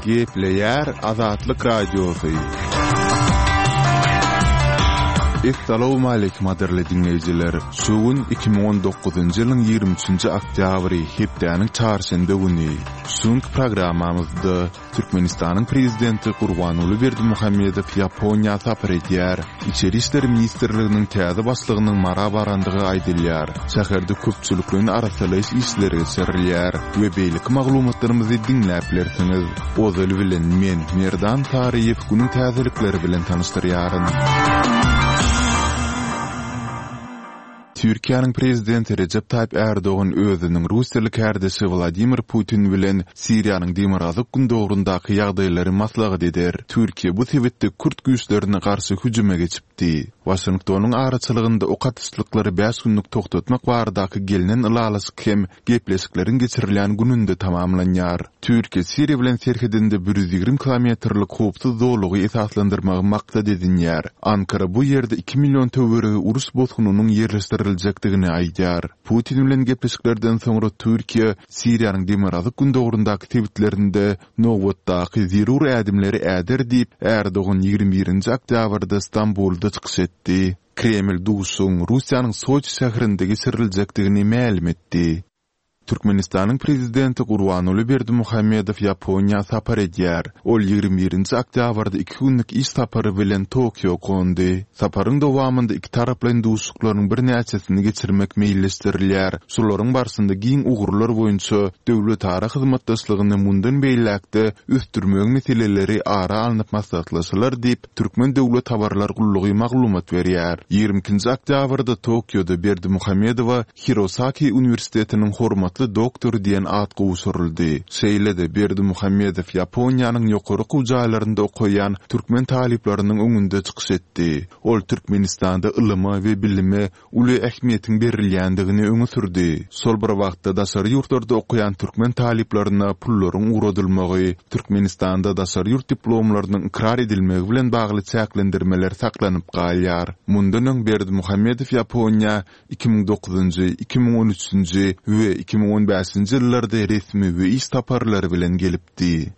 Gepleýär Azatlyk Radiosy. Essalawmaleýkim gadyrly diňleýjiler! Şu gün 2019-njy ýylyň 23-nji oktýabry, hepdäniň çarşenbe güni. Şu günki programmamyzda Türkmenistanyň Prezidenti Gurbanguly Berdimuhamedow Ýaponiýa sapar edýär. Içeri işler ministrliginiň täze başlygynyň Mara barandygy aýdylýar. Şäherde köpçülikleýin arassalaýyş işleri geçirilýär we beýleki maglumatlarymyzy diňläp bilersiňiz. Ozaly bilen men, Merdan Saryýew günüň täzelikleri bilen tanyşdyrýaryn. Türkiýäniň Prezidenti Rejep Taýyp Ärdogan özüniň russiýaly kärdeşi Wladimir Putin bilen Siriýanyň demirgazyk-gündogaryndaky ýagdaýlary maslahat eder. Türkiýe bu sebitde kürt güýçlerine garşy hüjüme geçipdi. Waşingtonyň araçylygynda ok atyşlyklary bäş günlük togtatmak baradaky gelnen ylalaşyk hem gepleşikleriň geçirilýän gününde tamamlanýar. Türkiýe Siriýa bilen serhedinde 120 kilometrlik howpsuz zolagy esaslandyrmagy maksat edinýär. Ankara bu ýerde iki million töweregi uruş bosgunynyň ýerleşdiriljekdigini aýdýar. Putin bilen gepleşiklerden soňra Türkiýe Siriýanyň demirgazyk-gündogaryndaky sebitlerinde nobatdaky zerur ädimleri äder diýip, Ärdogan ýigrimi birinji oktýabrda Stambulda çykyş etdi. Kreml duşuşygyň Russiýanyň Soçi şäherinde geçiriljekdigini mälim etdi. Türkmenistanyň Prezidenti Gurbanguly Berdimuhamedow Ýaponiýa sapar edýär. Ol ýigrimi birinji oktýabrda iki günlük iş sapary bilen Tokio gondy. Saparyň dowamynda ikitaraplaýyn duşuşyklaryň birnäçesini geçirmek meýilleşdirilýär. Şolaryň barşynda giň ugurlar boýunça döwletara hyzmatdaşlygyny mundan beýläk-de ösdürmegiň meseleleri ara alnyp maslahatlaşylar diýip, Türkmen döwlet habarlar gullugy maglumat berýär. Ýigrimi ikinji oktýabrda Tokioda Berdimuhamedowa Hirosaki uniwersitetiniň hormatly doktory diýen at gowşuryldy. Şeýle-de Berdimuhamedow Ýaponiýanyň ýokary okuw jaýlarynda okaýan türkmen talyplarynyň öňünde çykyş etdi. Ol Türkmenistanda ylyma we bilime uly ähmiýetiň berilýändigini öňe sürdi. Şol bir wagtda daşary ýurtlarda okaýan türkmen talyplaryna pullaryň ugradylmagy, Türkmenistanda daşary ýurt diplomlarynyň ykrar edilmegi bilen bagly çäklendirmeler saklanyp galýar. Mundan öň Berdimuhamedow Ýaponiýa 2009-njy, 2013-nji we 2015-nji ýyllarda resmi we iş saparlary bilen gelipdi.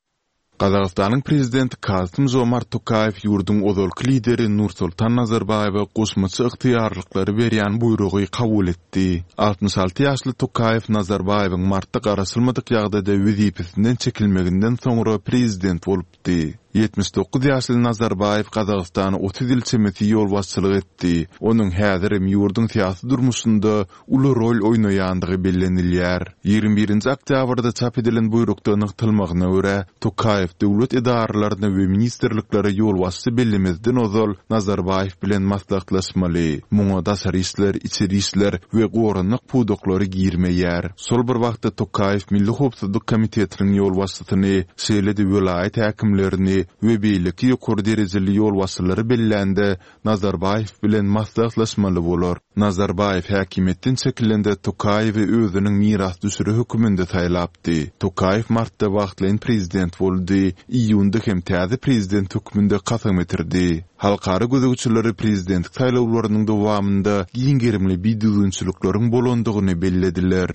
Gazagystanyň Prezidenti Kasym-Žomart Tokaýew ýurduň ozalky lideri Nursultan Nazarbaýewe goşmaça ygtyýarlyklary berýän buýrugy kabul etdi. 66 ýaşly Tokaýew Nazarbaýewiň martda garaşylmadyk ýagdaýda wezipesinden çekilmeginden soňra prezident bolupdy. 79 ýaşly Nazarbaýew Gazagystana 30 ýyl çemesi ýolbaşçylyk etdi. Onuň häzirem ýurduň syýasy durmuşynda uly rol oýnaýandygy bellenilýär. Ýigrimi birinji oktýabrda çap edilen buýrukda nygtalmagyna görä, Tokaýew döwlet edaralaryna we ministrliklere ýolbaşçy bellemezden ozal Nazarbaýew bilen maslahatlaşmaly. Muňa daşary işler, içeri işler we goranmak pudaklary girmeýär. Şol bir wagtda Tokaýew Milli howpsuzlyk komitetiniň ýolbaşçysyny, şeýle-de welaýat häkimlerini we beýleki ýokary derejeli ýolbaşçylary bellände Nazarbaýew bilen maslahatlaşmaly bolar. Nazarbaýew häkimiýetden çekilende Tokaýewi özüniň mirasdüşeri höküminde saýlapdy. Tokaýew martda wagtlaýyn prezident boldy, iýunda hem täze prezident hökmünde kasam getirdi. Halkara gözegçileri prezidentlik saýlawlarynyň dowamynda giň gerimli bidüzgünçilikleriň bolandygyny bellediler.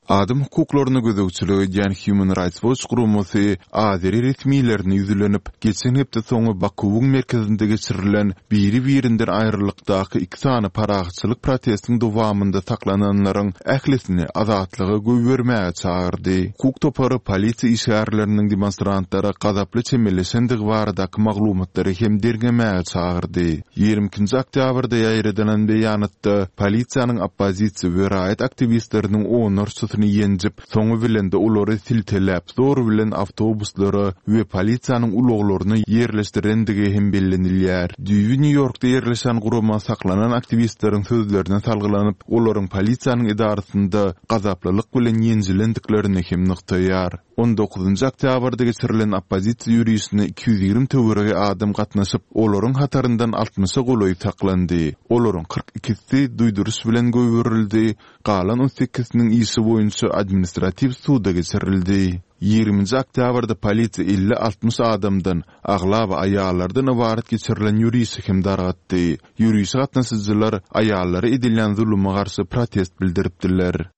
Adam hukuklaryna gözegçilik edýän Human Rights Watch guramasy azeri resmilerine ýüzlenip, geçen hepde soňy Bakuwyň merkezinde geçirilen biri-birinden aýrylykdaky iki sany parahatçylyk protestiň dowamynda saklananlaryň ählisini azatlyga goýbermäge çagyrdy. Hukuk topary polisiýa işgärleriniň demonstrantlara gazaply çemeleşendigi baradaky maglumatlary hem derňemäge çagyrdy. Ýigrimi ikinji oktýabrda ýaýradylan beýanatda polisiýanyň oppozisiýa we raýat aktiwistleriniň onlarçasyny ýenjip, soňy bilen-de olary silteläp, zor bilen awtobuslara we polisiýanyň ulaglaryna ýerleşdirendigi hem bellenilýär. Düýbi Nýu-Ýorkda ýerleşen gurama saklanan aktiwistleriň sözlerine salgylanyp, olaryň polisiýanyň edarasynda gazaplylyk bilen ýenjilendiklerini hem nygtaýar. On dokuzynjy oktýabrda geçirilen oppozisiýa ýörişine 220 töweregi adam gatnaşyp, olaryň hataryndan altmyşa golaýy saklandy. Olaryň kyrk ikisi duýduryş bilen goýberildi, galan on sekiziniň işi boýunça administratiw suda geçirildi. Ýigriminji oktýabrda polisiýa elli-altmyş adamdan, aglaba aýallardan ybarat geçirilen ýörişi hem dargatdy. Ýörişe gatnaşyjylar aýallara edilýän zuluma garşy protest bildiripdiler.